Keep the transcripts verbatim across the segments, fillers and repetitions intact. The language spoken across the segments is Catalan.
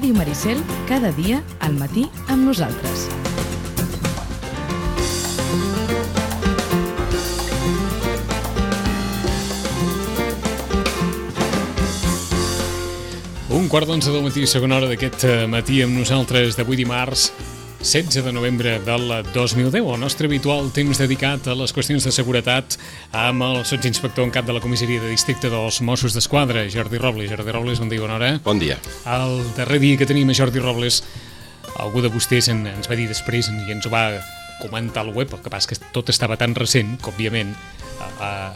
Ràdio Maricel, cada dia al matí amb nosaltres. Un quart d'onze del matí, segona hora d'aquest matí amb nosaltres d'avui dimarts, setze de novembre del dos mil deu, el nostre habitual temps dedicat a les qüestions de seguretat amb el sotsinspector en cap de la comissaria de districte dels Mossos d'Esquadra, Jordi Robles. Jordi Robles, bon dia, bona hora. Bon dia. El darrer dia que tenim a Jordi Robles, algú de vostès en, ens va dir després i ens ho va comentar al web, el que passa que tot estava tan recent que, òbviament,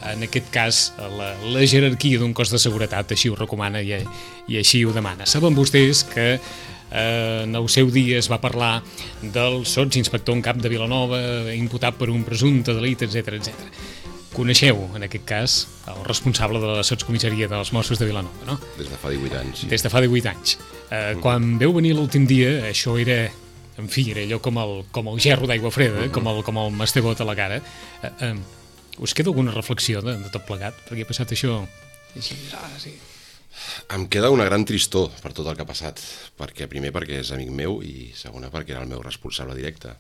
en aquest cas, la, la jerarquia d'un cos de seguretat així ho recomana i, i així ho demana. Saben vostès que eh, en el seu dia es va parlar del sotsinspector en cap de Vilanova, imputat per un presumpte delit, etcètera, etcètera. Coneixeu, en aquest cas, el responsable de la sotscomissaria dels Mossos de Vilanova, no? Des de fa divuit anys. Sí. Des de fa divuit anys. Eh, mm. Quan veu venir l'últim dia, això era, en fi, era allò com el, com el gerro d'aigua freda, mm. com, el, com el mastegot a la cara. Eh, eh, us queda alguna reflexió de, de tot plegat? Perquè ha passat això... Així, ah, sí. Em queda una gran tristor per tot el que ha passat, perquè primer perquè és amic meu i segona perquè era el meu responsable directe.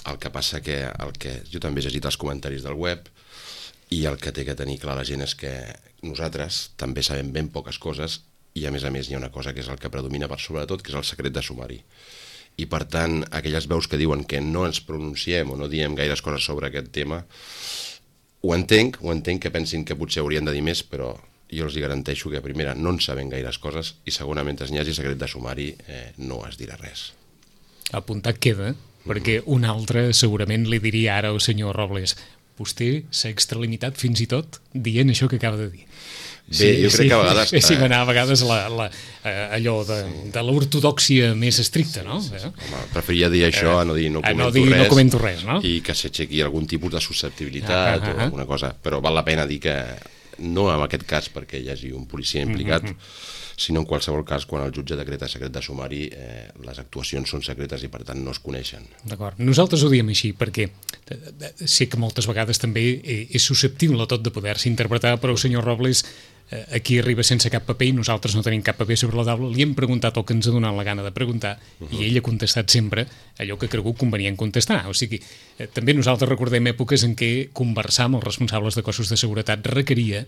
El que passa que, el que jo també he llegit els comentaris del web i el que té que tenir clar la gent és que nosaltres també sabem ben poques coses i a més a més hi ha una cosa que és el que predomina per sobre de tot, que és el secret de sumari. I per tant, aquelles veus que diuen que no ens pronunciem o no diem gaires coses sobre aquest tema, ho entenc, ho entenc que pensin que potser haurien de dir més, però jo els garanteixo que, primera, no en sabem gaires coses i, segona, mentre n'hi hagi secret de sumari, eh, no es dirà res. Apuntat queda, perquè un altre segurament li diria ara al senyor Robles: vostè s'ha extralimitat fins i tot dient això que acaba de dir. Bé, sí, jo crec sí, que a vegades... Sí, va anar a vegades la, la, allò de, de l'ortodòxia més estricta, no? Sí, sí, sí. Home, preferiria dir això a no dir no comento, no dir, res, no comento res, no? I que s'aixequi algun tipus de susceptibilitat ah, ah, ah. o alguna cosa, però val la pena dir que no en aquest cas perquè hi hagi un policia implicat, mm-hmm. sinó en qualsevol cas quan el jutge decreta secret de sumari, eh, les actuacions són secretes i per tant no es coneixen. D'acord. Nosaltres ho diem així perquè sé que moltes vegades també és susceptible tot de poder-se interpretar, però el senyor Robles aquí arriba sense cap paper i nosaltres no tenim cap paper sobre la taula, li hem preguntat el que ens ha donat la gana de preguntar uh-huh. i ell ha contestat sempre allò que ha cregut convenient contestar. O sigui, eh, també nosaltres recordem èpoques en què conversar amb els responsables de cossos de seguretat requeria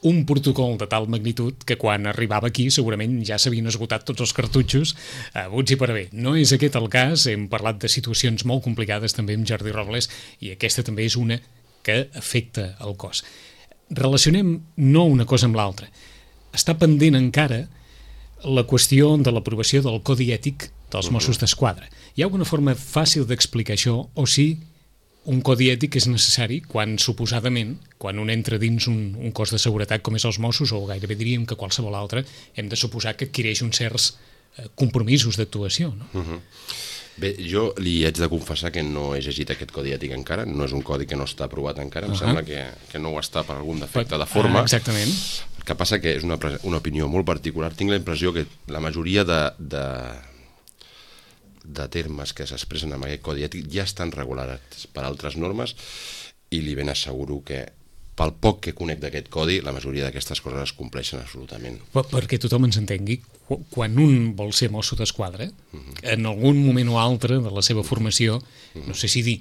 un protocol de tal magnitud que quan arribava aquí segurament ja s'havien esgotat tots els cartutxos a buts i per a bé. No és aquest el cas, hem parlat de situacions molt complicades també amb Jordi Robles i aquesta també és una que afecta el cos. Relacionem no una cosa amb l'altra. Està pendent encara la qüestió de l'aprovació del Codi Ètic dels Mossos d'Esquadra. Hi ha alguna forma fàcil d'explicar això o si un Codi Ètic és necessari quan, suposadament, quan un entra dins un, un cos de seguretat com és els Mossos, o gairebé diríem que qualsevol altre, hem de suposar que adquireix uns certs eh, compromisos d'actuació, no? Uh-huh. Bé, jo li haig de confessar que no he llegit aquest codi ètic encara, no és un codi que no està aprovat encara, em uh-huh. sembla que, que no ho està per algun defecte de forma. Ah, exactament. El que passa que és una, una opinió molt particular. Tinc la impressió que la majoria de, de, de termes que s'expressen en aquest codi ètic ja estan regulats per altres normes i li ben asseguro que pel poc que conec d'aquest codi, la majoria d'aquestes coses es compleixen absolutament. Per, perquè tothom ens entengui, quan un vol ser mosso d'esquadra, uh-huh. en algun moment o altre de la seva formació, uh-huh. no sé si dir,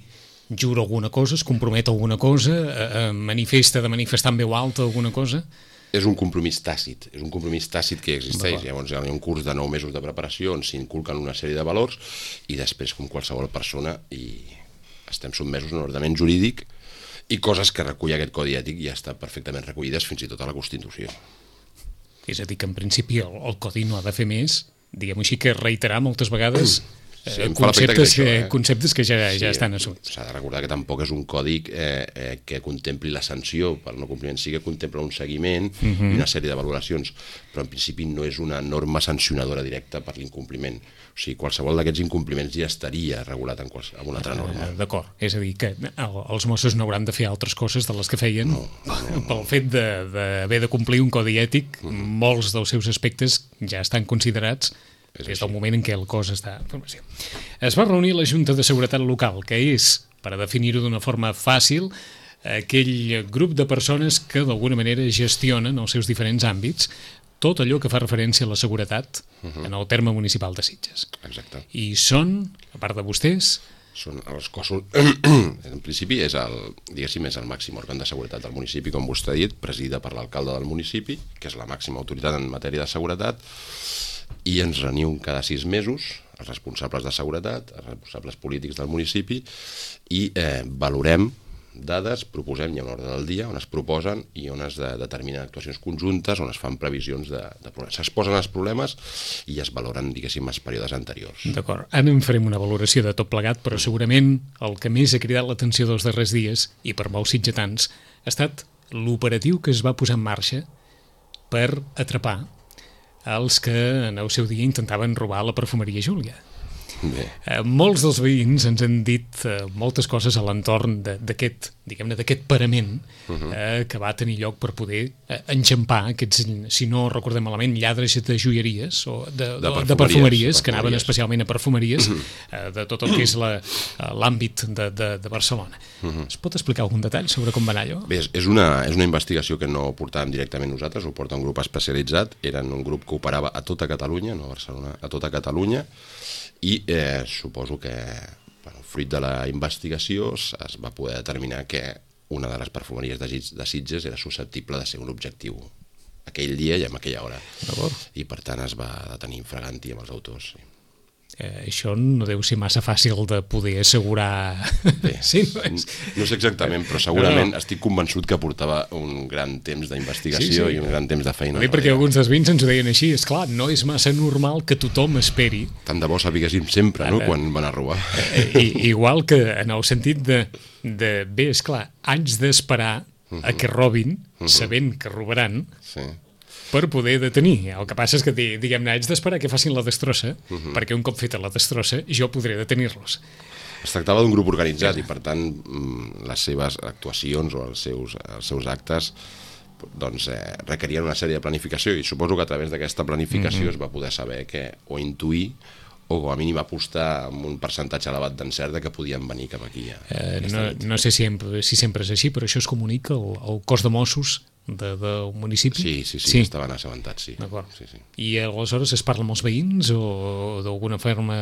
jura alguna cosa, es compromet alguna cosa, eh, manifesta de manifestar en veu alta alguna cosa... És un compromís tàcit, és un compromís tàcit que existeix. Llavors hi ha un curs de nou mesos de preparació on s'inculquen una sèrie de valors i després, com qualsevol persona, i estem sotmesos a un ordenament jurídic i coses que recull aquest codi ètic ja estan perfectament recollides fins i tot a la Constitució. És a dir, que en principi el, el codi no ha de fer més, diguem-ho així, que reiterar moltes vegades sí, eh, conceptes, que, això, eh? conceptes que ja, sí, ja estan assumits. S'ha de recordar que tampoc és un codi eh, eh, que contempli la sanció per no compliment, sí que contempla un seguiment uh-huh. i una sèrie de valoracions, però en principi no és una norma sancionadora directa per l'incompliment. O sigui, qualsevol d'aquests incompliments ja estaria regulat en, quals, en una altra norma. D'acord, és a dir, que els Mossos no hauran de fer altres coses de les que feien no, no, no. pel fet d'haver de, de complir un codi ètic, uh-huh. molts dels seus aspectes ja estan considerats des del moment en què el cos està en formació. Es va reunir la Junta de Seguretat Local, que és, per a definir-ho d'una forma fàcil, aquell grup de persones que d'alguna manera gestionen els seus diferents àmbits, tot allò que fa referència a la seguretat uh-huh. en el terme municipal de Sitges. Exacte. I són, a part de vostès... Són els cossos... en principi és el, diguéssim, és el màxim òrgan de seguretat del municipi, com vostè ha dit, presidida per l'alcalde del municipi, que és la màxima autoritat en matèria de seguretat, i ens reuniu cada sis mesos els responsables de seguretat, els responsables polítics del municipi, i eh, valorem dades, proposem, hi ha una ordre del dia on es proposen i on es de, determinen actuacions conjuntes, on es fan previsions de, de problemes. S'exposen els problemes i es valoren, diguéssim, els períodes anteriors. D'acord. Ara en farem una valoració de tot plegat, però segurament el que més ha cridat l'atenció dels darrers dies, i per molts sitgetans, ha estat l'operatiu que es va posar en marxa per atrapar els que en el seu dia intentaven robar la perfumeria Júlia. Bé. Eh, molts dels veïns ens han dit eh, moltes coses a l'entorn d'aquest, diguem-ne, d'aquest parament uh-huh. eh, que va tenir lloc per poder eh, enxampar aquests, si no recordem malament, lladres de joieries o de, de, perfumeries, de perfumeries que anaven especialment a perfumeries uh-huh. eh, de tot el que és l'àmbit de, de, de Barcelona. Uh-huh. Es pot explicar algun detall sobre com va anar allò? Bé, és una, és una investigació que no portàvem directament nosaltres, ho porta un grup especialitzat, eren un grup que operava a tota Catalunya, no a Barcelona, a tota Catalunya, i eh, suposo que bueno, fruit de la investigació es va poder determinar que una de les perfumeries de, de Sitges era susceptible de ser un objectiu aquell dia i en aquella hora. I per tant es va detenir infraganti amb els autors. Sí. Eh, això no deu ser massa fàcil de poder assegurar. Bé, sí, no, és... no sé exactament, però segurament no, no. estic convençut que portava un gran temps d'investigació sí, sí. i un gran temps de feina. No, perquè alguns dels veïns ens ho deien així, és clar, no és massa normal que tothom esperi. Tant de bo sabiguéssim sempre, no?, quan van a robar. I, igual que en el sentit de, de bé, és clar, anys d'esperar uh-huh. a que robin, uh-huh. sabent que robaran, sí. per poder detenir. El que passa és que, diguem-ne, haig d'esperar que facin la destrossa, uh-huh. perquè un cop feta la destrossa, jo podré detenir-los. Es tractava d'un grup organitzat i, per tant, les seves actuacions o els seus, els seus actes doncs, eh, requerien una sèrie de planificació i suposo que a través d'aquesta planificació uh-huh. es va poder saber que, o intuir o com a mínim apostar amb un percentatge elevat d'encert que podien venir cap aquí. Eh, no, no sé si sempre, si sempre és així, però això es comunica al, al cos de Mossos de, del municipi? Sí, sí, sí, sí. Estaven assabentats, sí. D'acord. Sí, sí. I aleshores es parla amb els veïns o d'alguna forma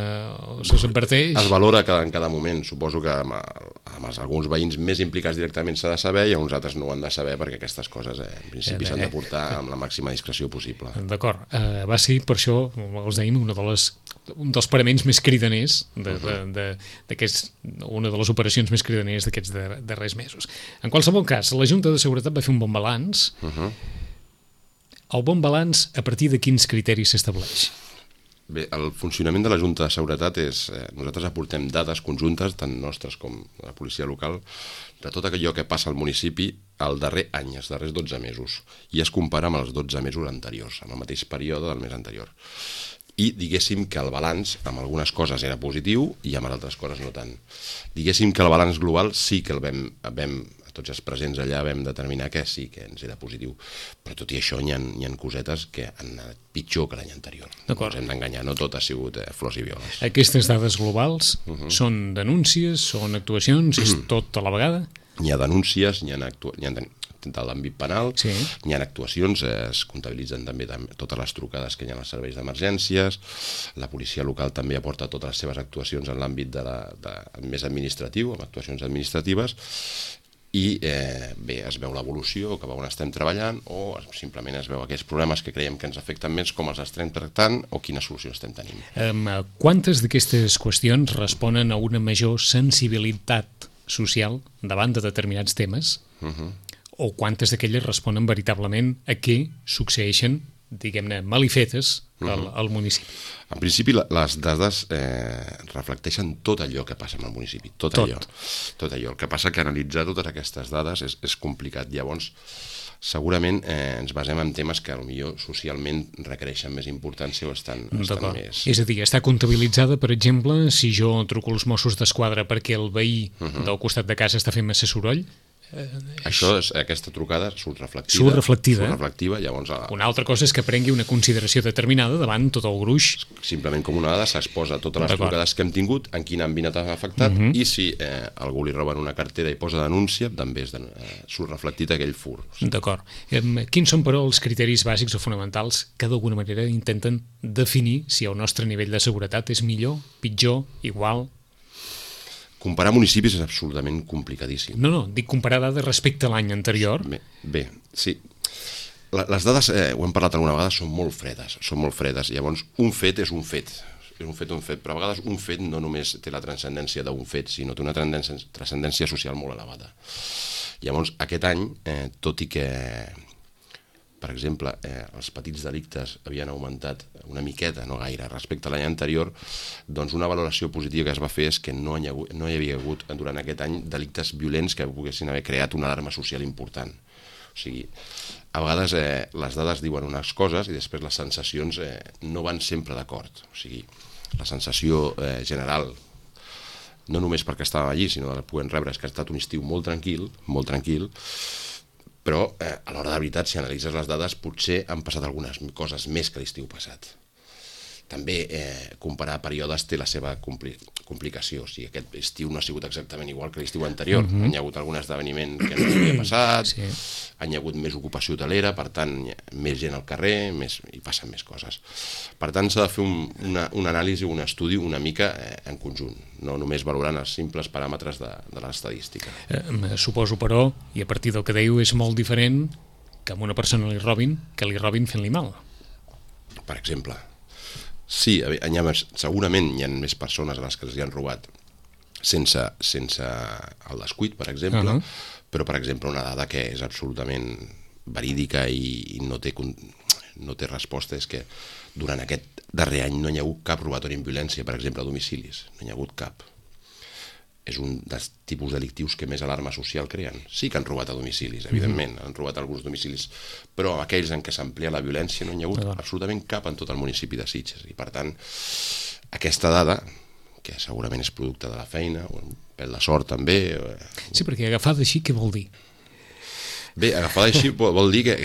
se'ls adverteix? Es valora cada, en cada moment. Suposo que amb, amb els, alguns veïns més implicats directament s'ha de saber i uns altres no ho han de saber perquè aquestes coses eh, en principi eh, s'han de portar amb la màxima discreció possible. D'acord. Eh, va ser, per això, els deim, una de les, un dels paraments més cridaners de, de, de, d'aquests, una de les operacions més cridaners d'aquests darrers mesos. En qualsevol cas, la Junta de Seguretat va fer un bon balanç. Uh-huh. El bon balanç, a partir de quins criteris s'estableix? Bé, el funcionament de la Junta de Seguretat és... Eh, nosaltres aportem dades conjuntes, tant nostres com la policia local, de tot allò que passa al municipi el darrer any, els darrers dotze mesos, i es compara amb els dotze mesos anteriors, amb el mateix període del mes anterior. I diguéssim que el balanç amb algunes coses era positiu i amb altres coses no tant. Diguéssim que el balanç global sí que el vam... vam tots els presents allà vam determinar que sí que ens era positiu, però tot i això hi ha, hi ha cosetes que han anat pitjor que l'any anterior. No ens hem d'enganyar, no tot ha sigut eh, flors i violes. Aquestes dades globals uh-huh. són denúncies, són actuacions, és tot a la vegada? Hi ha denúncies, hi ha, actua... hi ha de... de l'àmbit penal, sí. Hi ha actuacions, eh, es comptabilitzen també totes les trucades que hi ha als serveis d'emergències, la policia local també aporta totes les seves actuacions en l'àmbit de la, de, més administratiu, amb actuacions administratives, i eh, bé, es veu l'evolució, cap a on estem treballant, o simplement es veu aquells problemes que creiem que ens afecten més, com els estem tractant, o quines solucions estem tenint. Um, quantes d'aquestes qüestions responen a una major sensibilitat social davant de determinats temes, uh-huh. o quantes d'aquelles responen veritablement a què succeeixen, diguem-ne, malifetes al, al municipi? En principi, les dades eh, reflecteixen tot allò que passa en el municipi, tot, tot. allò. Tot allò. El que passa que analitzar totes aquestes dades és, és complicat. Llavors, segurament eh, ens basem en temes que potser socialment requereixen més importància o estan, estan més... És a dir, està comptabilitzada, per exemple, si jo truco als Mossos d'Esquadra perquè el veí uh-huh. del costat de casa està fent massa soroll, Eh, Això és, aquesta trucada surt reflectida. Surt reflectida. Surt reflectiva, llavors... A... Una altra cosa és que prengui una consideració determinada davant tot el gruix. Simplement com una dada s'exposa totes les trucades que hem tingut, en quin àmbit ha afectat, uh -huh. i si eh, algú li roben una cartera i posa denúncia, també és de, eh, surt reflectit aquell fur. D'acord. Eh, quins són, però, els criteris bàsics o fonamentals que d'alguna manera intenten definir si el nostre nivell de seguretat és millor, pitjor, igual? Comparar municipis és absolutament complicadíssim. No, no, dic comparar dades respecte a l'any anterior. Bé, bé, sí. Les dades, eh, ho hem parlat alguna vegada, són molt fredes, són molt fredes. Llavors, un fet és un fet, és un fet, un fet, però a vegades un fet no només té la transcendència d'un fet, sinó té una transcendència social molt elevada. Llavors, aquest any, eh, tot i que, per exemple, eh, els petits delictes havien augmentat una miqueta, no gaire, respecte a l'any anterior, doncs una valoració positiva que es va fer és que no hi, ha, no hi havia hagut durant aquest any delictes violents que poguessin haver creat una alarma social important. O sigui, a vegades eh, les dades diuen unes coses i després les sensacions eh, no van sempre d'acord. O sigui, la sensació eh, general, no només perquè estàvem allí, sinó que la puguem rebre, és que ha estat un estiu molt tranquil, molt tranquil, però eh, a l'hora de veritat, si analitzes les dades, potser han passat algunes coses més que l'estiu passat. També eh, comparar períodes té la seva compli complicació. O sigui, aquest estiu no ha sigut exactament igual que l'estiu anterior. Uh-huh. Hi ha hagut algun esdeveniment que no havia passat, sí. Hi ha hagut més ocupació hotelera, per tant, més gent al carrer, més, i passen més coses. Per tant, s'ha de fer un, una, una anàlisi, un estudi una mica eh, en conjunt, no només valorant els simples paràmetres de, de l'estadística. Eh, suposo, però, i a partir del que dèieu, és molt diferent que a una persona li robin que li robin fent-li mal. Per exemple... Sí, hi ha més, segurament hi ha més persones a les que els hi han robat sense, sense el descuit, per exemple, uh -huh. però, per exemple, una dada que és absolutament verídica i, i no, té, no té resposta és que durant aquest darrer any no hi ha hagut cap robatori amb violència, per exemple, a domicilis. No hi ha hagut cap. És un dels tipus delictius que més alarma social creen. Sí que han robat a domicilis, evidentment, han robat alguns domicilis, però aquells en què s'amplia la violència no hi ha hagut absolutament cap en tot el municipi de Sitges. I per tant, aquesta dada, que segurament és producte de la feina, o un pèl de sort també... Sí, perquè agafada així, què vol dir? Bé, agafada així vol dir que...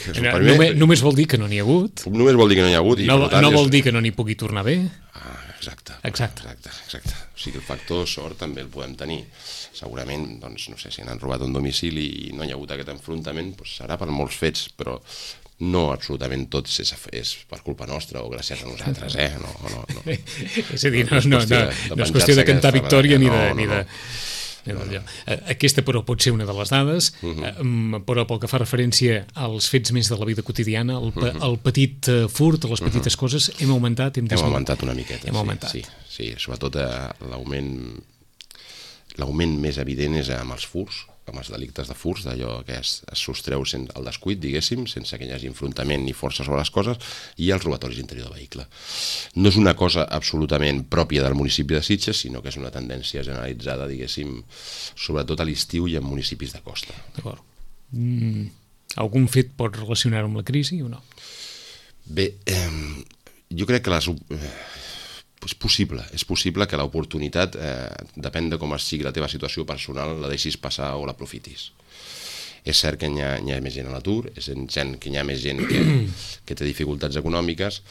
que no, només, només vol dir que no n'hi ha hagut. Només vol dir que no n'hi ha hagut. I no per tant, no vol és... dir que no n'hi pugui tornar bé. Ah, exacte. Exacte. exacte, exacte. O sigui, el factor sort també el podem tenir. Segurament, doncs, no sé, si han robat un domicili i no hi ha hagut aquest enfrontament, doncs serà per molts fets, però no absolutament tot és, és per culpa nostra o gràcies a nosaltres, eh? No, no, no. És a dir, no, no, no, no, no és qüestió de cantar victòria ni de... Ni de... No, no, no. Aquesta, però, pot ser una de les dades, uh-huh. però pel que fa referència als fets més de la vida quotidiana, el, uh-huh. el petit furt, les petites uh-huh. coses, hem augmentat? Hem, hem augmentat una miqueta, hem sí, augmentat. sí, sí, sobretot eh, l'augment l'augment més evident és amb els furts, amb els delictes de furts, d'allò que es, es sostreu sense el descuit, diguéssim, sense que hi hagi enfrontament ni força sobre les coses, i els robatoris interior de vehicle. No és una cosa absolutament pròpia del municipi de Sitges, sinó que és una tendència generalitzada, diguéssim, sobretot a l'estiu i en municipis de costa. D'acord. Mm, algun fet pot relacionar-ho amb la crisi o no? Bé, eh, jo crec que les... Eh, és possible, és possible que l'oportunitat, eh, depèn de com sigui la teva situació personal, la deixis passar o l'aprofitis. És cert que hi ha, hi ha més gent a l'atur, és cert que hi ha més gent que, que té dificultats econòmiques,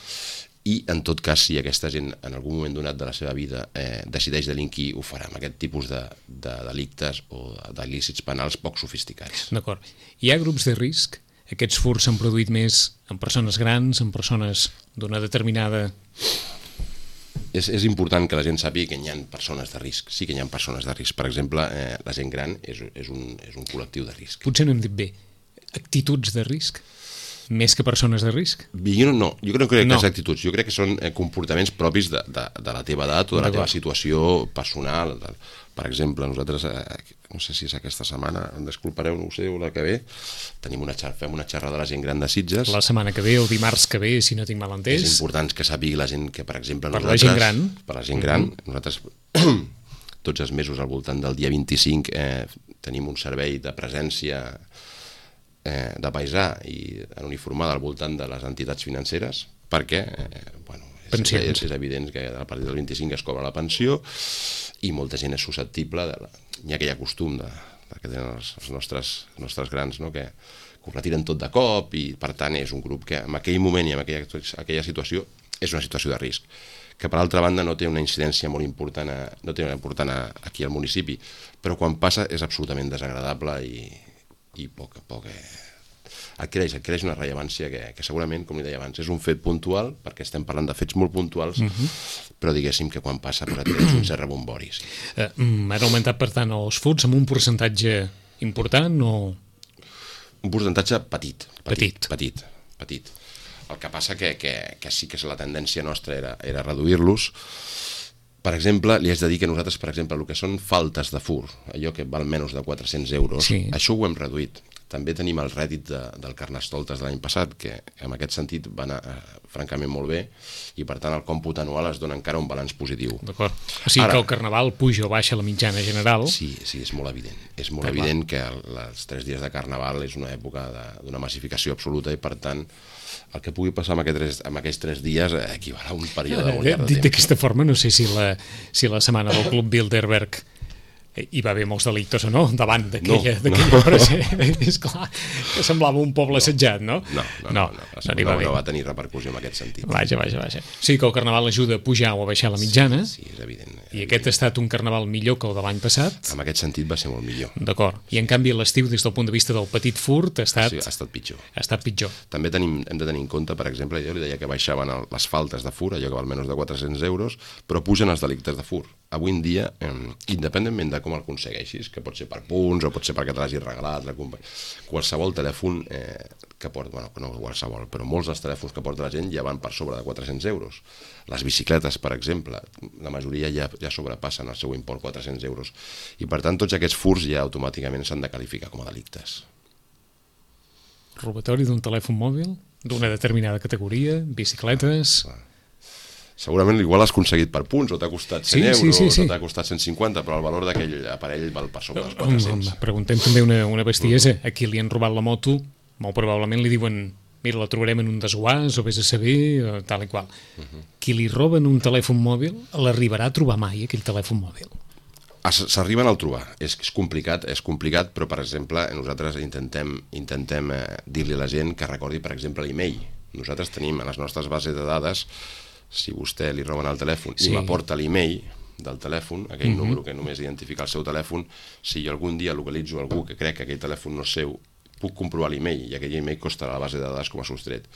i en tot cas, si aquesta gent en algun moment donat de la seva vida eh, decideix delinquir, ho farà amb aquest tipus de, de delictes o d'il·lícits penals poc sofisticats. D'acord. Hi ha grups de risc? Aquests furts s'han produït més en persones grans, en persones d'una determinada... És, és important que la gent sàpiga que hi ha persones de risc. Sí que hi ha persones de risc. Per exemple, eh, la gent gran és, és, un, és un col·lectiu de risc. Potser no hem dit bé. Actituds de risc? Més que persones de risc? Jo no, jo crec que no. És actituds. Jo crec que són eh, comportaments propis de, de, de la teva edat o de la teva situació personal. De, per exemple, nosaltres, eh, no sé si és aquesta setmana, em desculpareu, no ho sé, o la que ve, tenim una xarxa, fem una xerrada de la gent gran de Sitges. La setmana que ve o dimarts que ve, si no tinc mal entès. És important que sàpigui la gent que, per exemple, per nosaltres... la gent gran. Per la gent gran. Mm-hmm. Nosaltres, tots els mesos, al voltant del dia vint-i-cinc, eh, tenim un servei de presència eh, de paisà i en uniformada al voltant de les entitats financeres, perquè, eh, bueno, és, és, és evident que a partir del vint-i-cinc es cobra la pensió i molta gent és susceptible, de la, hi ha aquell costum de, que tenen els, els nostres, els nostres grans, no? que, que ho retiren tot de cop i per tant és un grup que en aquell moment i en aquella, aquella situació és una situació de risc, que per altra banda no té una incidència molt important, a, no té una important a, aquí al municipi, però quan passa és absolutament desagradable i, i poc a poc eh, adquireix, adquireix una rellevància que, que segurament, com li deia abans, és un fet puntual, perquè estem parlant de fets molt puntuals, uh-huh. però diguéssim que quan passa pues, adquireix un cert rebombori. Sí. Uh, han augmentat, per tant, els furts amb un percentatge important o...? Un percentatge petit. Petit. Petit, petit. petit. El que passa que, que, que sí que la tendència nostra era, era reduir-los. Per exemple, li haig de dir que nosaltres, per exemple, el que són faltes de fur, allò que val menys de quatre-cents euros, sí. això ho hem reduït. També tenim el rèdit de, del Carnestoltes de l'any passat, que en aquest sentit va anar eh, francament molt bé, i per tant el còmput anual es dona encara un balanç positiu. D'acord. O sigui Ara, que el Carnaval puja o baixa la mitjana general. Sí, sí, és molt evident. És molt Però evident clar. que el, els tres dies de Carnaval és una època d'una massificació absoluta i per tant el que pugui passar amb aquests tres, amb aquests tres dies eh, equival a un període molt llarg de temps. Dit d'aquesta forma, no sé si la, si la setmana del Club Bilderberg hi va haver molts delictes o no, davant d'aquella no, no. presència. És clar, que semblava un poble no, assetjat, no? No, no, no, no, no, no, no va tenir repercussió en aquest sentit. Vaja, vaja, vaja. Sí que el Carnaval ajuda a pujar o a baixar la mitjana, sí, sí, és evident. És i evident. aquest ha estat un Carnaval millor que el de l'any passat. En aquest sentit va ser molt millor. D'acord. I en canvi l'estiu, des del punt de vista del petit furt, ha estat... Sí, ha estat pitjor. Ha estat pitjor. També tenim, hem de tenir en compte, per exemple, jo li deia que baixaven el, les faltes de fur, allò que val menys de quatre-cents euros, però pugen els delictes de fur. Avui en dia, eh, independentment de com el aconsegueixis, que pot ser per punts o pot ser perquè te l'hagis regalat, la qualsevol telèfon eh, que porta, bueno, no qualsevol, però molts dels telèfons que porta la gent ja van per sobre de quatre-cents euros. Les bicicletes, per exemple, la majoria ja, ja sobrepassen el seu import quatre-cents euros. I per tant, tots aquests furs ja automàticament s'han de qualificar com a delictes. Robatori d'un telèfon mòbil, d'una determinada categoria, bicicletes... Ah, segurament igual has aconseguit per punts, o t'ha costat cent sí, euros, sí, sí, sí. o t'ha costat cent cinquanta, però el valor d'aquell aparell val per sobre dels quatre-cents. Preguntem també una, una bestiesa. A qui li han robat la moto, molt probablement li diuen mira, la trobarem en un desguàs, o vés a saber, o tal i qual. Uh -huh. Qui li roben un telèfon mòbil, l'arribarà a trobar mai, aquell telèfon mòbil? S'arriben al trobar. És, és complicat, és complicat, però, per exemple, nosaltres intentem, intentem eh, dir-li a la gent que recordi, per exemple, l'e-mail. Nosaltres tenim a les nostres bases de dades, si vostè li roben el telèfon sí. i m'aporta l'e-mail del telèfon, aquell uh-huh. número que només identifica el seu telèfon, si jo algun dia localitzo algú que crec que aquell telèfon no és seu, puc comprovar l'e-mail i aquell e-mail costarà la base de dades com a sostret.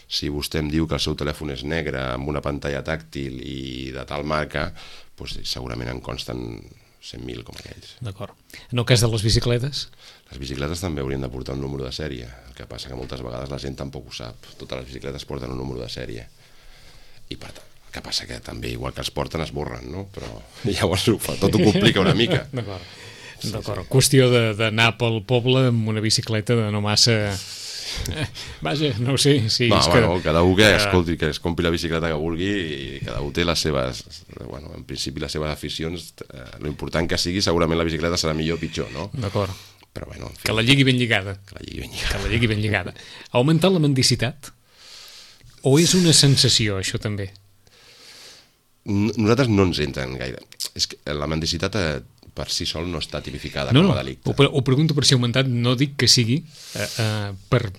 Si vostè em diu que el seu telèfon és negre amb una pantalla tàctil i de tal marca, doncs segurament en consten cent mil com aquells. D'acord. En el cas de les bicicletes? Les bicicletes també haurien de portar un número de sèrie. El que passa que moltes vegades la gent tampoc ho sap. Totes les bicicletes porten un número de sèrie. I per tant, el que passa que també, igual que els porten, es borren, no? Però llavors ho fa, tot ho complica una mica. D'acord. Sí, D'acord. Sí. Qüestió d'anar pel poble amb una bicicleta de no massa... Eh, vaja, no ho sé. Sí, no, és bueno, que... cada un que, escolti, que es compri la bicicleta que vulgui i cada un té les seves, bueno, en principi les seves aficions. Eh, lo important que sigui, segurament la bicicleta serà millor o pitjor, no? D'acord. Però bueno, en fi, que la lligui ben lligada. Que la lligui ben lligada. Que la lligui ben lligada. Ha augmentat la mendicitat? O és una sensació, això també? Nosaltres no ens entren gaire. És que la mendicitat eh, per si sol no està tipificada no, com no. a delicte. Ho, ho pregunto per si ha augmentat, no dic que sigui eh, eh, per...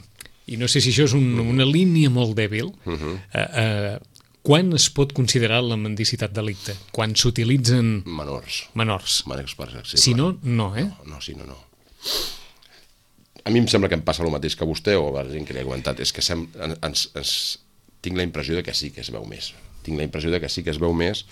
I no sé si això és un, una línia molt dèbil. Uh-huh. eh, eh, quan es pot considerar la mendicitat delicte? Quan s'utilitzen... Menors. Menors. Menors, per exemple. Si no, no, eh? No, no, si no, no. A mi em sembla que em passa el mateix que vostè o a la gent que li ha comentat. És que sem, ens, ens, tinc la impressió de que sí que es veu més. Tinc la impressió de que sí que es veu més,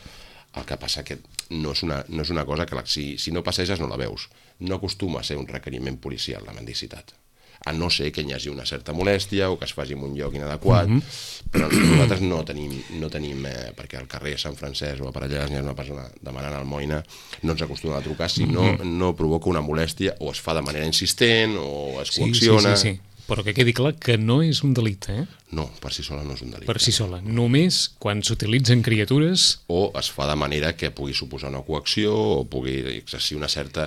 el que passa que no és una, no és una cosa que la, si, si no passeges no la veus. No acostuma a ser un requeriment policial la mendicitat, a no ser que hi hagi una certa molèstia o que es faci en un lloc inadequat, mm-hmm. però nosaltres no tenim, no tenim eh, perquè al carrer Sant Francesc o a Parellades hi ha una persona demanant almoina, no ens acostuma a trucar si no, no provoca una molèstia o es fa de manera insistent o es coacciona. Sí, sí, sí, sí. Però que quedi clar que no és un delicte, eh? No, per si sola no és un delicte. Per si sola. Només quan s'utilitzen criatures... O es fa de manera que pugui suposar una coacció o pugui exercir una certa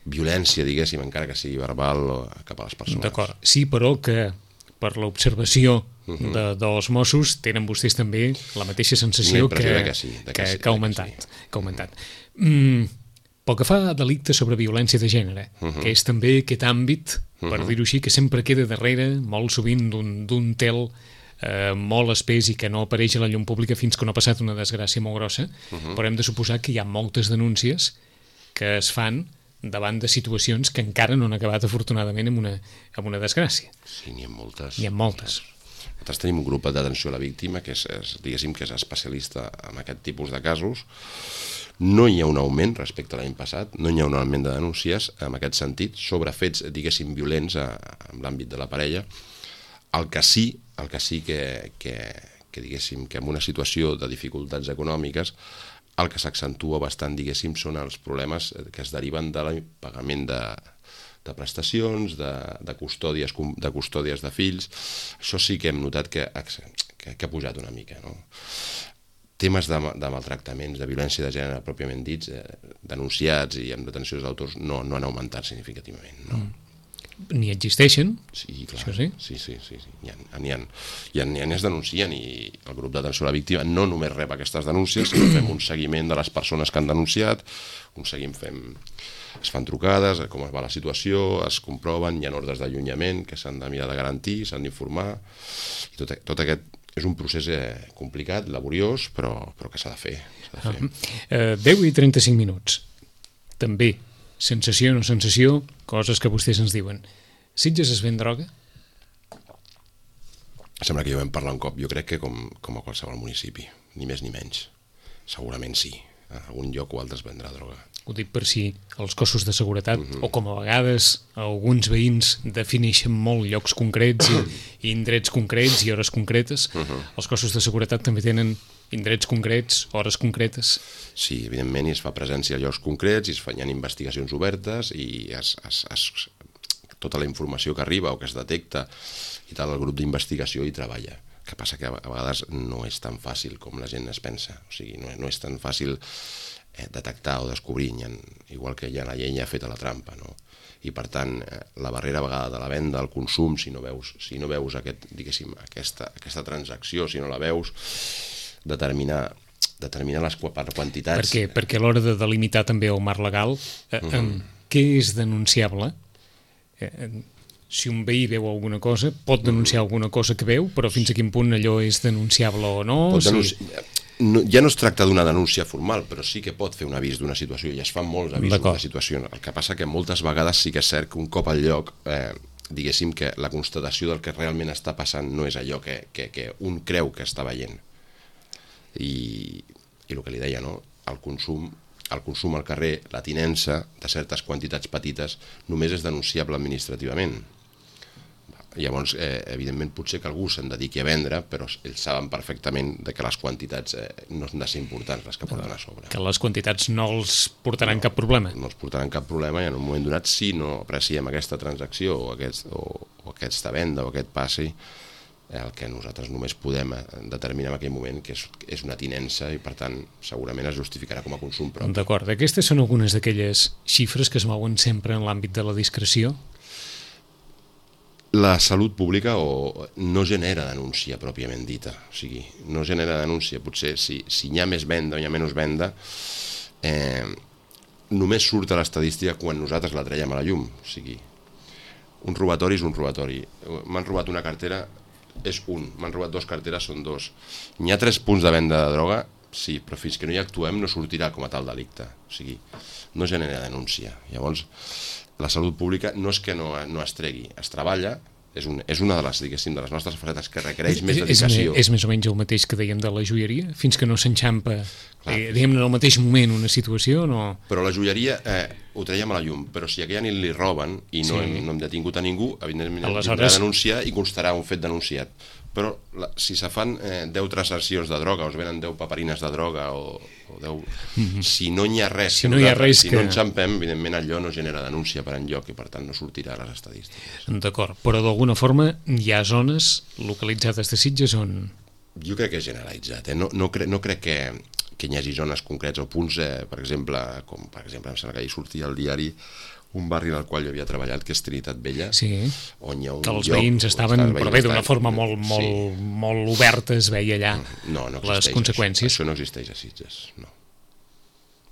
violència, diguéssim, encara que sigui verbal cap a les persones. D'acord. Sí, però que per l'observació uh-huh. de, dels Mossos tenen vostès també la mateixa sensació que, que, sí, que, que, sí, que ha augmentat. que sí. Que ha augmentat. Mm, Pel que fa a delicte sobre violència de gènere, uh -huh. que és també aquest àmbit, per uh -huh. dir-ho així, que sempre queda darrere, molt sovint, d'un tel eh, molt espès i que no apareix a la llum pública fins que no ha passat una desgràcia molt grossa, uh -huh. però hem de suposar que hi ha moltes denúncies que es fan davant de situacions que encara no han acabat, afortunadament, amb una, amb una desgràcia. Sí, n'hi ha moltes. N'hi ha moltes. Nosaltres tenim un grup d'atenció a la víctima que és, és, diguéssim, que és especialista en aquest tipus de casos. No hi ha un augment respecte a l'any passat, no hi ha un augment de denúncies en aquest sentit sobre fets, diguéssim, violents a, en l'àmbit de la parella. El que sí, el que sí que, que, que diguéssim, que en una situació de dificultats econòmiques, el que s'accentua bastant, diguéssim, són els problemes que es deriven de l'impagament de, de prestacions, de, de, custòdies, de custòdies de fills. Això sí que hem notat que, que, que ha pujat una mica, no? Temes de, de maltractaments, de violència de gènere pròpiament dits, eh, denunciats i amb detencions d'autors, no, no han augmentat significativament, no. Mm. Ni existeixen, sí, clar. Això sí? Sí, sí, sí, sí. N'hi ha, n'hi ha, n'hi ha, n'hi ha, es denuncien i el grup d'atenció a la víctima no només rep aquestes denúncies, sinó fem un seguiment de les persones que han denunciat, un seguim fem, es fan trucades, com es va la situació, es comproven, hi ha ordres d'allunyament que s'han de mirar de garantir, s'han d'informar, i tot, tot aquest és un procés eh, complicat, laboriós, però, però que s'ha de fer. S'ha de fer. Uh, uh, deu i trenta-cinc minuts. També, sensació o no sensació, coses que vostès ens diuen. Sitges es ven droga? Sembla que ja ho vam parlar un cop. Jo crec que com, com a qualsevol municipi, ni més ni menys. Segurament sí. En algun lloc o altre es vendrà droga. Ho dic per si els cossos de seguretat, uh -huh. o com a vegades alguns veïns defineixen molt llocs concrets i, i indrets concrets i hores concretes, uh -huh. els cossos de seguretat també tenen indrets concrets, hores concretes. Sí, evidentment, i es fa presència a llocs concrets, i es fan investigacions obertes, i es, es, es, tota la informació que arriba o que es detecta, i tal, el grup d'investigació hi treballa. El que passa que a vegades no és tan fàcil com la gent es pensa. O sigui, no, no és tan fàcil eh, detectar o descobrir, ha, igual que hi ha la llenya feta la trampa, no? I per tant, eh, la barrera a vegada de la venda, el consum, si no veus, si no veus aquest, diguéssim, aquesta, aquesta transacció, si no la veus, determinar, determinar les quantitats... Per què? Perquè a l'hora de delimitar també el marc legal, eh, uh -huh. eh, què és denunciable? Eh, si un veí veu alguna cosa, pot denunciar uh -huh. alguna cosa que veu, però fins a quin punt allò és denunciable o no? Pot denunci... si... no, ja no es tracta d'una denúncia formal, però sí que pot fer un avís d'una situació, i es fan molts avisos de situació. El que passa que moltes vegades sí que és cert que un cop al lloc, eh, diguéssim que la constatació del que realment està passant no és allò que, que, que un creu que està veient. I, i el que li deia, no? el consum el consum al carrer, la tinença de certes quantitats petites només és denunciable administrativament. Llavors, eh, evidentment, potser que algú se'n dediqui a vendre, però ells saben perfectament de que les quantitats eh, no han de ser importants les que porten a sobre. Que les quantitats no els portaran no, cap problema. No els portaran cap problema, i en un moment donat, si no apreciem aquesta transacció o, aquest, o, o aquesta venda o aquest passi, el que nosaltres només podem determinar en aquell moment que és, és una tinença, i per tant segurament es justificarà com a consum propi. D'acord, aquestes són algunes d'aquelles xifres que es mouen sempre en l'àmbit de la discreció? La salut pública o no genera denúncia pròpiament dita, o sigui, no genera denúncia. Potser si, si hi ha més venda o hi ha menys venda, eh, només surt a l'estadística quan nosaltres la traiem a la llum. O sigui, un robatori és un robatori. M'han robat una cartera, és un. M'han robat dues carteres, són dos. N'hi ha tres punts de venda de droga? Sí, però fins que no hi actuem no sortirà com a tal delicte. O sigui, no genera denúncia. Llavors, la salut pública no és que no, no es tregui, es treballa, és, un, és una de les, diguéssim, de les nostres facetes que requereix més dedicació. És, és més o menys el mateix que dèiem de la joieria? Fins que no s'enxampa, eh, diguem, en el mateix moment una situació, no? Però la joieria eh, ho traiem a la llum, però si aquella nit li roben i no, sí. hem, no hem detingut a ningú, evidentment Aleshores... hem de denunciar i constarà un fet denunciat. Però la, si se fan eh, deu transaccions de droga, o es venen deu paperines de droga, o, o deu... Mm-hmm. Si no hi ha res, si no, hi ha res si que... no enxampem, evidentment allò no genera denúncia per enlloc, i per tant no sortirà a les estadístiques. D'acord, però d'alguna forma hi ha zones localitzades de Sitges on... Jo crec que és generalitzat, eh? no, no, cre no crec que, que hi hagi zones concrets o punts, eh, per exemple, com per exemple em sembla que ahir sortia al diari un barri en el qual jo havia treballat, que és Trinitat Vella, sí. on hi ha un que els lloc... veïns estaven, veïns però bé, d'una estan, forma molt, molt, sí. molt oberta es veia allà no, no les conseqüències. Això, això no existeix a Sitges, no.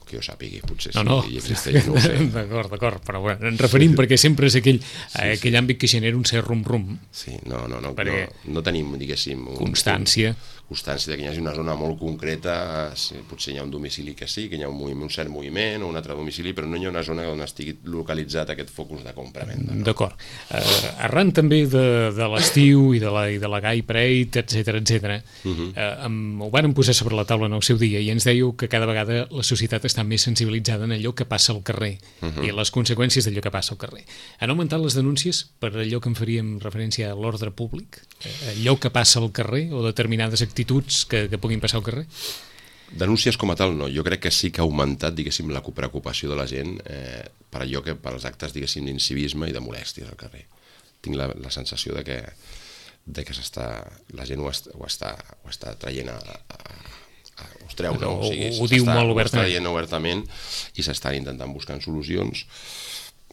que jo sàpigui, potser no, sí, no. I existeix, no ho sé. D'acord, d'acord, però bueno, ens referim perquè sempre és aquell, sí, aquell sí. àmbit que genera un cert rum-rum. Sí, no, no, no, perquè no, no tenim, diguéssim... Un, constància. Un, constància de que hi hagi una zona molt concreta, potser hi ha un domicili que sí, que hi ha un, moviment, un cert moviment o un altre domicili, però no hi ha una zona on estigui localitzat aquest focus de compra-venda. No? D'acord. Uh, arran també de, de l'estiu i de la, i de la Gay Parade, etcètera, etcètera, uh -huh. uh, um, ho varen posar sobre la taula en el seu dia i ens dèieu que cada vegada la societat està més sensibilitzada en allò que passa al carrer uh -huh. i les conseqüències d'allò que passa al carrer. Han augmentat les denúncies per allò que en faríem referència a l'ordre públic? Allò que passa al carrer o determinades actituds que, que puguin passar al carrer? Denúncies com a tal no, jo crec que sí que ha augmentat, diguéssim, la preocupació de la gent eh, per allò que, per als actes, diguéssim, d'incivisme i de molèsties al carrer. Tinc la, la sensació de que, de que s'està, la gent ho, est, ho, està, ho està traient a, a, a ho treu, no? O, o sigui, ho diu molt obertament. Ho està traient obertament i s'estan intentant buscar solucions,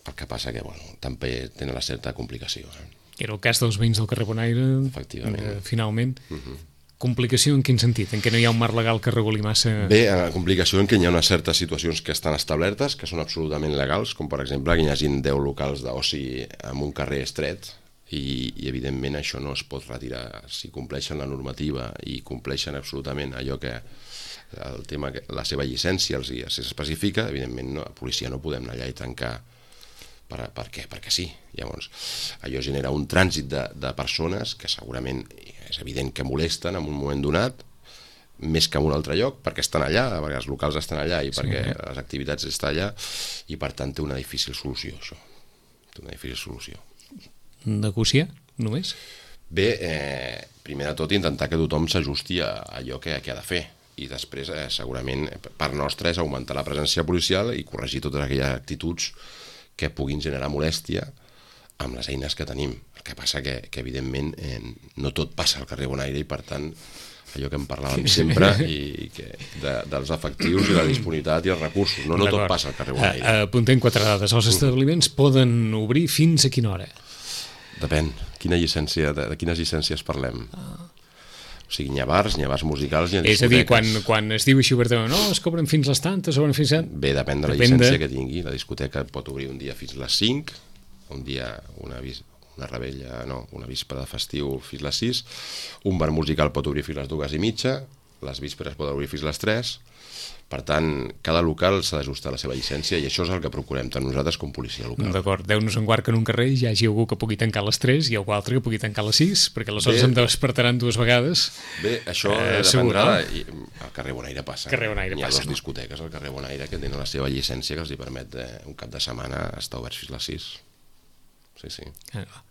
el que passa que, bueno, també tenen la certa complicació. Eh? Era el cas dels veïns del carrer Bonaire, efectivament. Eh, finalment. Uh -huh. Complicació en quin sentit? En què no hi ha un marc legal que reguli massa... Bé, eh, complicació en què hi ha unes certes situacions que estan establertes, que són absolutament legals, com per exemple que hi hagin deu locals d'oci en un carrer estret, i, i evidentment això no es pot retirar. Si compleixen la normativa i compleixen absolutament allò que el tema, la seva llicència els s'especifica, evidentment no, la policia no podem anar allà i tancar. Per, per què? Perquè sí. Llavors, allò genera un trànsit de, de persones que segurament és evident que molesten en un moment donat, més que en un altre lloc, perquè estan allà, perquè els locals estan allà i perquè sí, les activitats estan allà, i per tant té una difícil solució, això. Té una difícil solució. Negociar, només? Bé, eh, primer de tot intentar que tothom s'ajusti a allò que, que ha de fer, i després eh, segurament part nostra és augmentar la presència policial i corregir totes aquelles actituds que puguin generar molèstia amb les eines que tenim. El que passa que, que evidentment, eh, no tot passa al carrer Bonaire i, per tant, allò que en parlàvem sempre, i que de, dels efectius i la disponibilitat i els recursos. No, no tot passa al carrer Bonaire. Apuntem quatre dades. Els establiments poden obrir fins a quina hora? Depèn. Quina llicència, de, de quines llicències parlem? Ah. O sigui, n'hi ha bars, n'hi ha bars musicals, n'hi ha discoteques. És a dir, quan, quan es diu així obertament, no, es cobren fins les tantes, obren fins a... Bé, depèn de la depèn llicència de... que tingui. La discoteca pot obrir un dia fins a les cinc, un dia una, una rebella, no, una víspera de festiu fins a les sis, un bar musical pot obrir fins a les dues i mitja, les vísperes poden obrir fins a les tres. Per tant, cada local s'ha d'ajustar a la seva llicència i això és el que procurem tant nosaltres com policia local. D'acord, Déu-nos en guard que en un carrer hi hagi algú que pugui tancar a les tres i algú altre que pugui tancar a les sis, perquè aleshores em despertaran dues vegades. Bé, això eh, dependrà... No? Al carrer Bonaire passa. Carrer Bonaire Hi ha passa, dues no? discoteques al carrer Bonaire que tenen la seva llicència que els hi permet eh, un cap de setmana estar oberts fins a les sis. Sí, sí. Ah,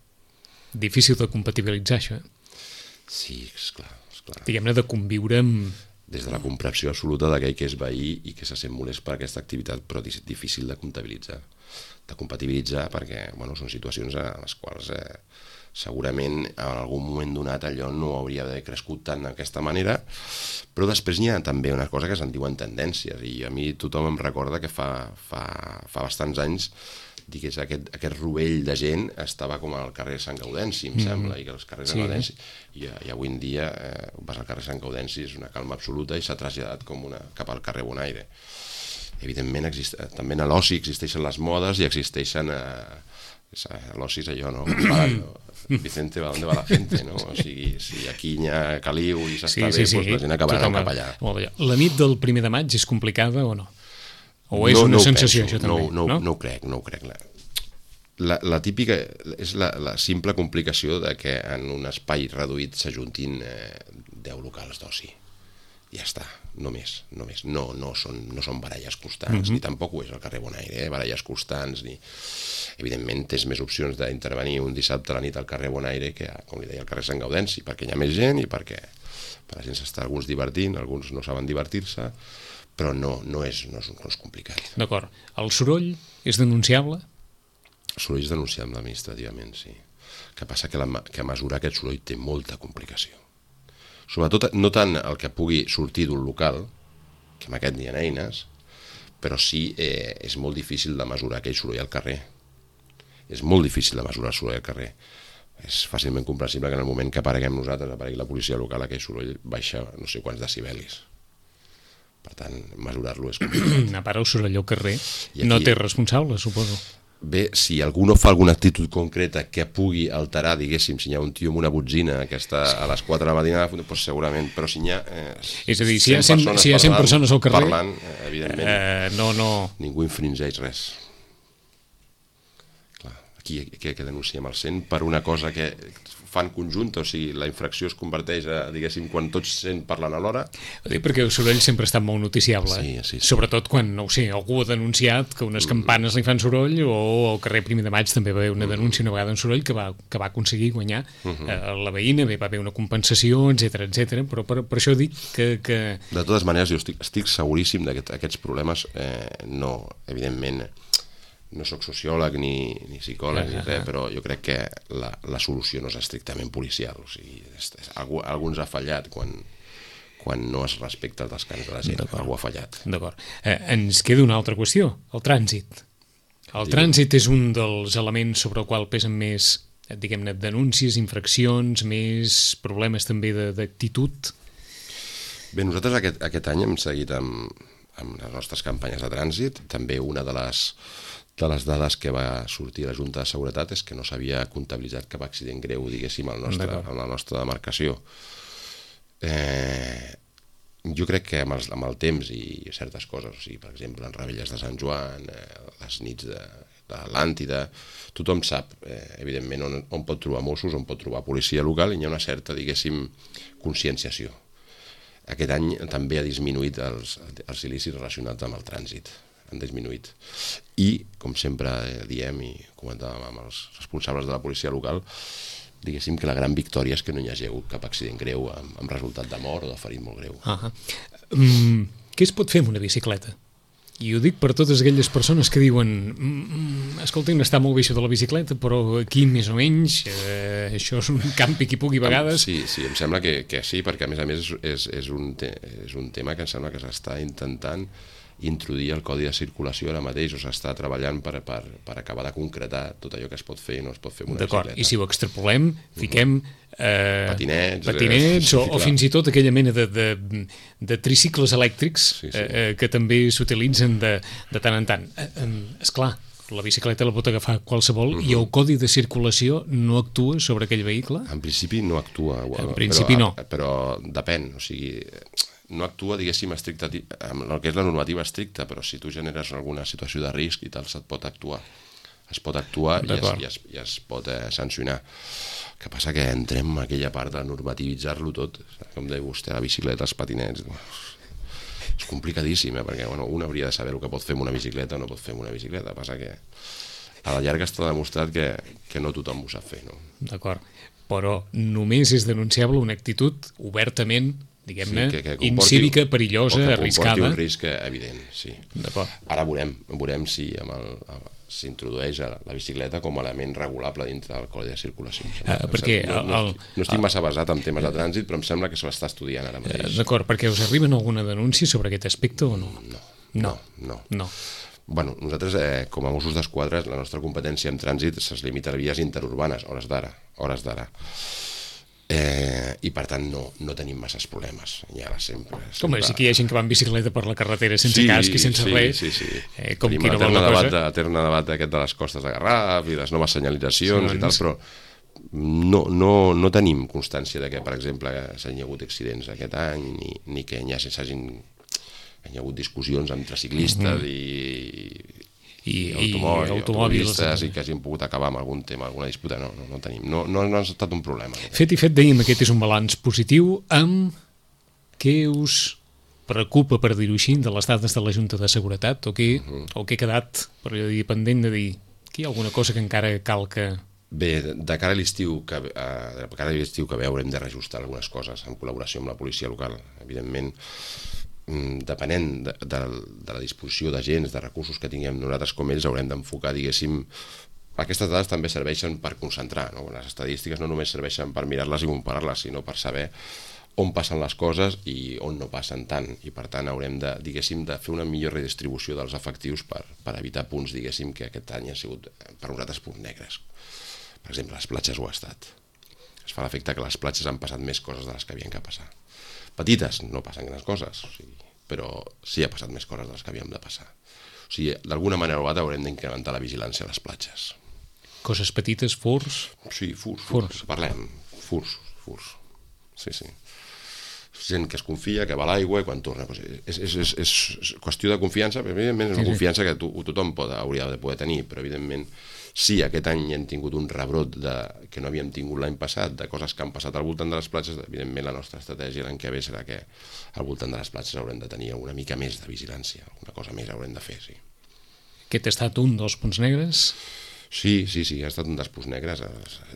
difícil de compatibilitzar, això, eh? Sí, esclar, esclar. Diguem-ne, de conviure amb... Des de la comprensió absoluta d'aquell que és veí i que se sent molest per aquesta activitat, però difícil de comptabilitzar. De compatibilitzar perquè, bueno, són situacions en les quals eh, segurament en algun moment donat allò no hauria d'haver crescut tant d'aquesta manera, però després n'hi ha també una cosa que se'n diuen tendències, i a mi tothom em recorda que fa, fa, fa bastants anys digués, aquest, aquest rovell de gent estava com al carrer Sant Gaudenci, em mm. sembla, i que els carrers sí. Sant Gaudenci, i, i avui en dia eh, vas al carrer Sant Gaudenci, és una calma absoluta i s'ha traslladat com una, cap al carrer Bonaire. Evidentment, exist, també a l'oci existeixen les modes i existeixen eh, a l'oci és allò, no? Vicente, va on va la gente, no? O sigui, si aquí hi ha caliu i s'està sí, bé, sí, sí. Doncs la gent acabarà cap allà. La nit del primer de maig és complicada o no? O és no, una no sensació, penso, això també? No, no, no? no ho crec, no ho crec. La, la típica és la, la simple complicació de que en un espai reduït s'ajuntin eh, deu locals d'oci. Ja està, només, només. No, no, són, no són baralles constants, mm-hmm. ni tampoc ho és el carrer Bonaire, eh? baralles constants, ni... Evidentment tens més opcions d'intervenir un dissabte a la nit al carrer Bonaire que, com li deia, al carrer Sant Gaudenci, perquè hi ha més gent i perquè per la gent s'està alguns divertint, alguns no saben divertir-se, però no, no, és, no, és, no és complicat. D'acord. El soroll és denunciable? El soroll és denunciable administrativament, sí. El que passa que, la, que mesurar aquest soroll té molta complicació. Sobretot, no tant el que pugui sortir d'un local, que en aquest n'hi ha eines, però sí eh, és molt difícil de mesurar aquell soroll al carrer. És molt difícil de mesurar el soroll al carrer. És fàcilment comprensible que en el moment que apareguem nosaltres, aparegui la policia local, aquell soroll baixa no sé quants decibelis. Per tant, mesurar-lo és complicat. A part, el soroll al carrer aquí, no té responsable, suposo. Bé, si algú no fa alguna actitud concreta que pugui alterar, diguéssim, si hi ha un tio amb una botzina que està a les quatre de la matinada, doncs segurament, però si hi ha... Eh, és a dir, si hi ha cent, si hi ha cent persones al carrer, parlant, eh, evidentment, eh, no, no... ningú infringeix res. Clar, aquí, aquí que denunciem el cent per una cosa que fan conjunta, o sigui, la infracció es converteix a, diguéssim, quan tots cent parlen alhora. Perquè el soroll sempre ha estat molt noticiable, sí, sí, sí. Sobretot quan, no ho sé, algú ha denunciat que unes campanes li fan soroll, o al carrer Primer de Maig també va haver una denúncia una vegada en soroll que va, que va aconseguir guanyar uh -huh. eh, la veïna, bé, va haver una compensació, etcètera, etcètera. Però per, per això dic que, que... De totes maneres, jo estic, estic seguríssim d'aquests aquest, problemes, eh, no, evidentment, no sóc sociòleg ni, ni psicòleg, ni res, però jo crec que la, la solució no és estrictament policial. O sigui, és, és, algú, algú ens ha fallat quan, quan no es respecta el descans de la gent. Algú ha fallat. D'acord. Eh, ens queda una altra qüestió, el trànsit. El trànsit és un dels elements sobre el qual pesen més, diguem-ne, denúncies, infraccions, més problemes també d'actitud. Bé, nosaltres aquest, aquest any hem seguit amb, amb les nostres campanyes de trànsit. També una de les de les dades que va sortir a la Junta de Seguretat és que no s'havia comptabilitzat cap accident greu, diguéssim, en la nostra demarcació. Eh, jo crec que amb, els, amb el temps i certes coses, o sigui, per exemple, en Revetlles de Sant Joan, eh, les nits de, de l'Atlàntida, tothom sap, eh, evidentment, on, on pot trobar Mossos, on pot trobar policia local, i hi ha una certa, diguéssim, conscienciació. Aquest any també ha disminuït els, els il·lícits relacionats amb el trànsit. Han disminuït. I, com sempre diem i comentàvem amb els responsables de la policia local, diguéssim que la gran victòria és que no hi hagi hagut cap accident greu amb, amb resultat de mort o de ferit molt greu. Uh -huh. mm, què es pot fer amb una bicicleta? I ho dic per totes aquelles persones que diuen mm, escolta'm, està molt bé això de la bicicleta, però aquí més o menys eh, això és un campi qui pugui a vegades. Sí, sí, em sembla que, que sí, perquè a més a més és, és, un te és un tema que em sembla que s'està intentant introduir el codi de circulació ara mateix, o s'està treballant per, per, per acabar de concretar tot allò que es pot fer i no es pot fer amb una bicicleta. D'acord, i si ho extrapolem, fiquem eh, patinets, patinets eh, o, o fins i tot aquella mena de, de, de tricicles elèctrics sí, sí. Eh, que també s'utilitzen de, de tant en tant. Eh, eh, esclar, la bicicleta la pot agafar qualsevol uh -huh. i el codi de circulació no actua sobre aquell vehicle? En principi no actua. En principi però, no. Però depèn, o sigui... no actua, diguéssim, estricta, amb el que és la normativa estricta, però si tu generes alguna situació de risc i tal, se't pot actuar. Es pot actuar i es, i, es, i es pot eh, sancionar. El que passa que entrem en aquella part de normativitzar-lo tot, com deia vostè, la bicicleta, els patinets... És complicadíssim, eh? Perquè bueno, un hauria de saber el que pot fer amb una bicicleta o no pot fer amb una bicicleta. Passa que a la llarga està demostrat que, que no tothom ho sap fer, no? D'acord, però només és denunciable una actitud obertament, diguem-ne, sí, incívica, perillosa, que arriscada. Que comporti un risc evident, sí. D'acord. Ara veurem, veurem si amb el, s'introdueix la bicicleta com a element regulable dintre del codi de circulació. Uh, perquè no, no, el, no estic massa basat en temes de trànsit, però em sembla que se l'està estudiant ara mateix. D'acord, perquè us arriben alguna denúncia sobre aquest aspecte o no? No. No. No. no. Bueno, nosaltres, eh, com a Mossos d'Esquadra, la nostra competència en trànsit es limita a vies interurbanes, hores d'ara, hores d'ara. Eh, i per tant no, no tenim masses problemes ja sempre, sempre... Com sí que hi ha gent que va en bicicleta per la carretera sense sí, casc i sense sí, res sí, sí. Eh, com tenim qui no vol la debat, cosa l'etern debat aquest de les costes de Garraf i les noves senyalitzacions sí, i tal, però no, no, no tenim constància de que, per exemple, s'hagin hagut accidents aquest any ni, ni que hi hagin hi ha hagut discussions entre ciclistes mm-hmm. i i, i automòbils, i automòbils i que hagin pogut acabar amb algun tema, alguna disputa, no, no, no tenim, no, no, no ha estat un problema. Fet i fet, dèiem, aquest és un balanç positiu. Amb què us preocupa, per dir-ho així, de les dades de la Junta de Seguretat, o què, uh-huh. o què ha quedat, per dir, pendent de dir, que hi ha alguna cosa que encara cal que... Bé, de cara a l'estiu que, eh, de cara a l'estiu que ve haurem de reajustar algunes coses en col·laboració amb la policia local, evidentment. Depenent de, de, de la disposició d'agents, de recursos que tinguem nosaltres com ells, haurem d'enfocar, diguéssim, aquestes dades també serveixen per concentrar, no? Les estadístiques no només serveixen per mirar-les i comparar-les, sinó per saber on passen les coses i on no passen tant, i per tant haurem de, diguéssim, de fer una millor redistribució dels efectius per, per evitar punts, diguéssim, que aquest any han sigut per nosaltres punts negres. Per exemple, les platges ho ha estat. Es fa l'efecte que les platges han passat més coses de les que havien que passar. Petites, no passen grans coses, o sigui, però sí ha passat més coses de les que havíem de passar. O sigui, d'alguna manera o altra haurem d'incrementar la vigilància a les platges. Coses petites, furs? Sí, furs, furs. furs. Parlem, furs, furs. Sí, sí. Gent que es confia, que va a l'aigua i quan torna... Doncs és, és, és, és qüestió de confiança, però evidentment és una sí, confiança sí. que to, tothom pot, hauria de poder tenir, però evidentment sí, aquest any hem tingut un rebrot de, que no havíem tingut l'any passat, de coses que han passat al voltant de les platges. Evidentment la nostra estratègia l'any que ve serà que al voltant de les platges haurem de tenir una mica més de vigilància, una cosa més haurem de fer, sí. Aquest ha estat un dels punts negres? Sí, sí, sí, ha estat un dels punts negres.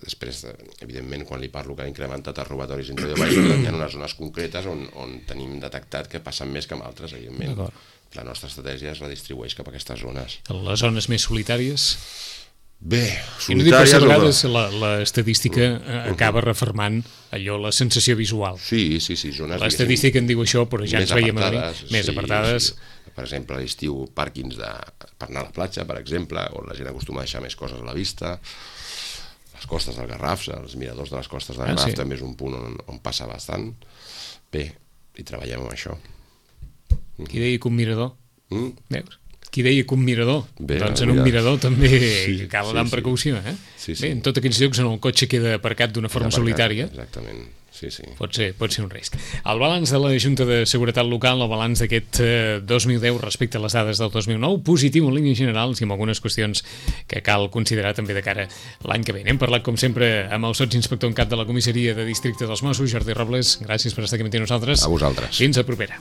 Després, evidentment, quan li parlo que ha incrementat els robatoris interior de baix, hi ha unes zones concretes on, on tenim detectat que passen més que en altres, evidentment. La nostra estratègia es redistribueix cap a aquestes zones. Les zones més solitàries? Bé, solitàries... I no dic que a vegades l'estadística acaba refermant allò, la sensació visual. Sí, sí, sí. L'estadística en diu això, però ja ens veiem a dir, més apartades... Per exemple, a l'estiu, pàrquings de, per anar a la platja, per exemple, on la gent acostuma a deixar més coses a la vista. Les costes del Garraf, els miradors de les costes del Garraf, ah, sí. també és un punt on, on passa bastant. Bé, i treballem amb això. Qui deia que un mirador? Mm? Veus? Qui deia que un mirador? Bé, doncs en un mirador també sí, cal anar amb sí, precaució. Eh? Sí, sí. Bé, en tots aquells llocs on el cotxe queda aparcat d'una forma aparcat, solitària. Exactament. Sí, sí. Pot ser, pot ser un risc. El balanç de la Junta de Seguretat Local, el balanç d'aquest eh, dos mil deu respecte a les dades del dos mil nou, positiu en línies generals i amb algunes qüestions que cal considerar també de cara l'any que ve. Hem parlat, com sempre, amb el sotsinspector en cap de la comissaria de districte dels Mossos, Jordi Robles. Gràcies per estar aquí amb nosaltres. A vosaltres. Fins a propera.